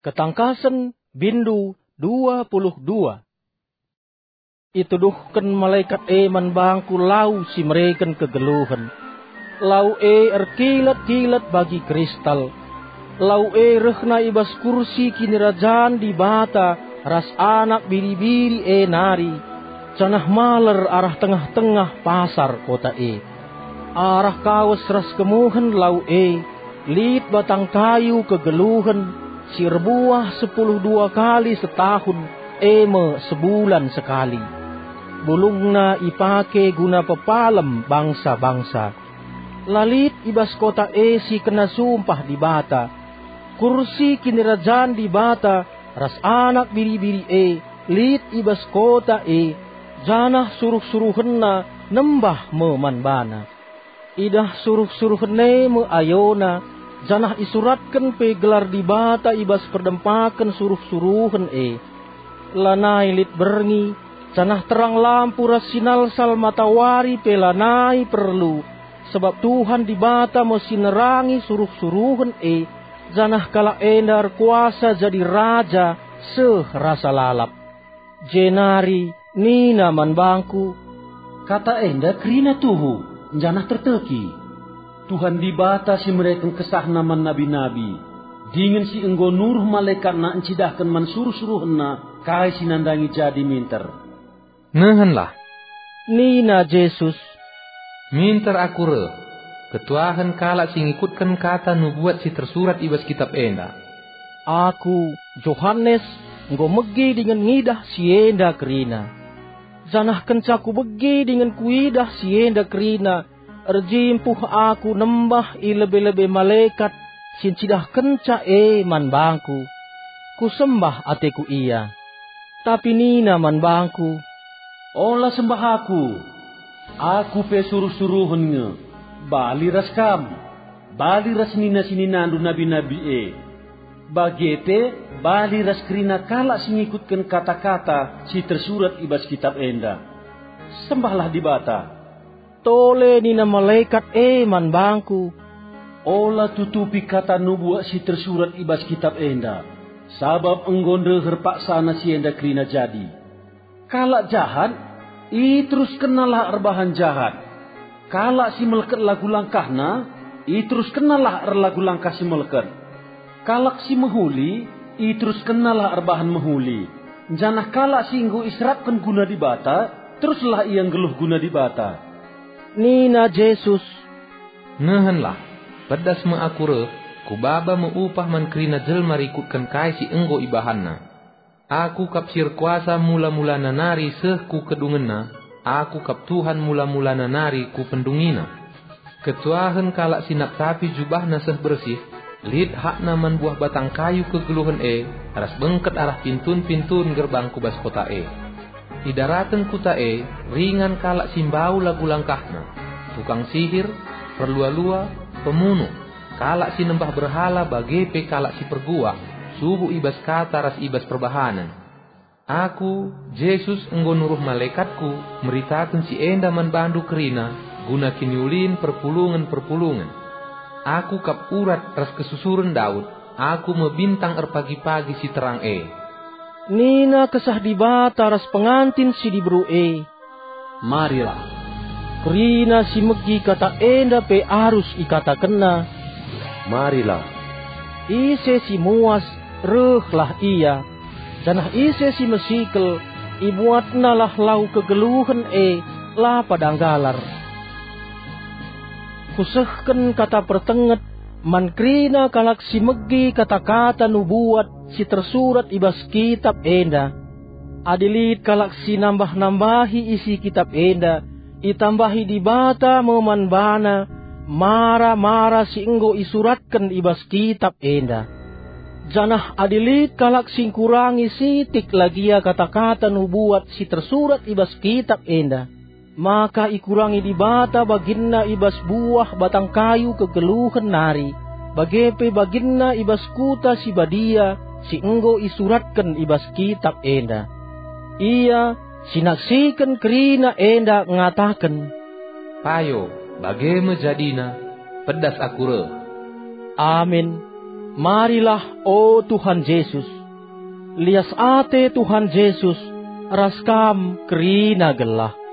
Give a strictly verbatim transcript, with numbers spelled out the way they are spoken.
Ketangkasen, bindu dua puluh dua. Ituduhken malekat e man bangku lau si mereken kegeluhen. Lau e erkilat-kilat bagi kristal. Lau e rehna i bas kursi kinirajan Dibata ras Anak Biri-biri e nari, janah maler arah tengah-tengah pasar kota e. Arah kawes ras kemuhen lau e, lit batang kayu kegeluhen si erbuah sepuluh dua kali setahun, e me sebulan sekali. Bulungna ipake guna pepalem bangsa-bangsa. La lit i bas kota e si kena sumpah Dibata. Kursi kinirajan Dibata ras Anak Biri-biri e lit i bas kota e, janah suruh-suruhenna nembah me man bana. Idah suruh-suruhen e me ayona, janah isuratken pe gelar Dibata i bas perdempaken suruh-suruhen e. Lanai lit berngi, janah terang lampu ras sinalsal matawari pe lanai perlu, sabap Tuhan Dibata me si nerangi suruh-suruhen e, janah kalak enda erkuasa jadi raja seh rasa lalap. Jenari nina man bangku, "Kata enda kerina tuhu, janah terteki. Tuhan Dibata si mereken kesahNa man nabi-nabi, dingen si enggo nuruh malekatNa ncidahken man suruh-suruhenNa kai si nandangi jadi minter." "Nehenlah," nina Jesus, "minter Aku reh, ketuahen kalak si ngikutken kata nubuat si tersurat i bas kitap enda." Aku, Johanes, enggo megi dingen ngidah si enda kerina. Janah kenca kubegi dingen kuidah si enda kerina, erjimpuh aku nembah i lebe-lebe malekat si ncidahkenca e man bangku. Kusembah ateku ia. Tapi nina man bangku, "Ola sembah aku. Aku pe suruh-suruhen nge, bali ras kam, bali ras nina-sininandu nabi-nabi e, bage pe bali ras kerina kalak si ngikutken kata-kata si tersurat i bas kitap enda. Sembahlah Dibata." Tole nina malekat e man bangku, "Ola tutupi kata nubuat si tersurat i bas kitap enda, sabap enggo ndeher paksana si enda kerina jadi. Kalak jahat, iteruskennalah erbahan jahat. Kalak si melket lagu langkahna, iteruskennalah erlagu langkah si melket. Kalak si mehuli, iteruskennalah erbahan mehuli. Janah kalak si enggo iserapken guna Dibata, teruslah ia nggeluh guna Dibata." Nina Jesus, "Nehenlah, pedas me Aku reh, Kubaba me upah man kerina jelma rikutken kai si enggo ibahanna. Aku kap si erkuasa mula-mulana nari seh ku kedungenna, Aku kap Tuhan mula-mulana nari ku pendungina. Ketuahen kalak si naptapi jubahna seh bersih, lit hakna man buah batang kayu kegeluhen e, ras bengket arah pintun-pintun gerbang ku bas kota e. I daraten kuta e ringan kalak si mbau lagu langkahna, tukang sihir, perlua-lua, pemunuh, kalak si nembah berhala bage pe kalak si perguak, subuk i bas kata ras i bas perbahanen. Aku, Jesus, enggo nuruh malekatKu meritaken si enda man bandu kerina guna kiniulin perpulungen-perpulungen. Aku kap urat ras kesusuren Daud, Aku me bintang erpagi-pagi si terang e." Nina Kesah Dibata ras pengantin si diberu e, "Marilah." Kerina si megi kata enda pe arus ikatakenna, "Marilah." Ise si muas, rehlah ia, janah ise si mesikel, ibuatnalah lau kegeluhen e, la pada nggalar. Kusehken kata pertenget man kerina kalak si megi kata-kata nubuat si tersurat i bas kitap enda. Adi lit kalak si nambah-nambahi isi kitap enda, itambahi Dibata me man bana mara-mara si enggo isuratken i bas kitap enda. Janah adi lit kalak si ngkurangi sitik lagia kata-kata nubuat si tersurat i bas kitap enda, maka ikurangi Dibata baginna i bas buah batang kayu kegeluhen nari, bage pe baginna i bas kuta si badia si enggo isuratken i bas kitap enda. Ia si naksiken kerina enda ngataken, "Payo, bage me jadina, pedas aku reh." Amin. Marilah, o Tuhan Jesus. Lias ate Tuhan Jesus ras kam kerina gelah.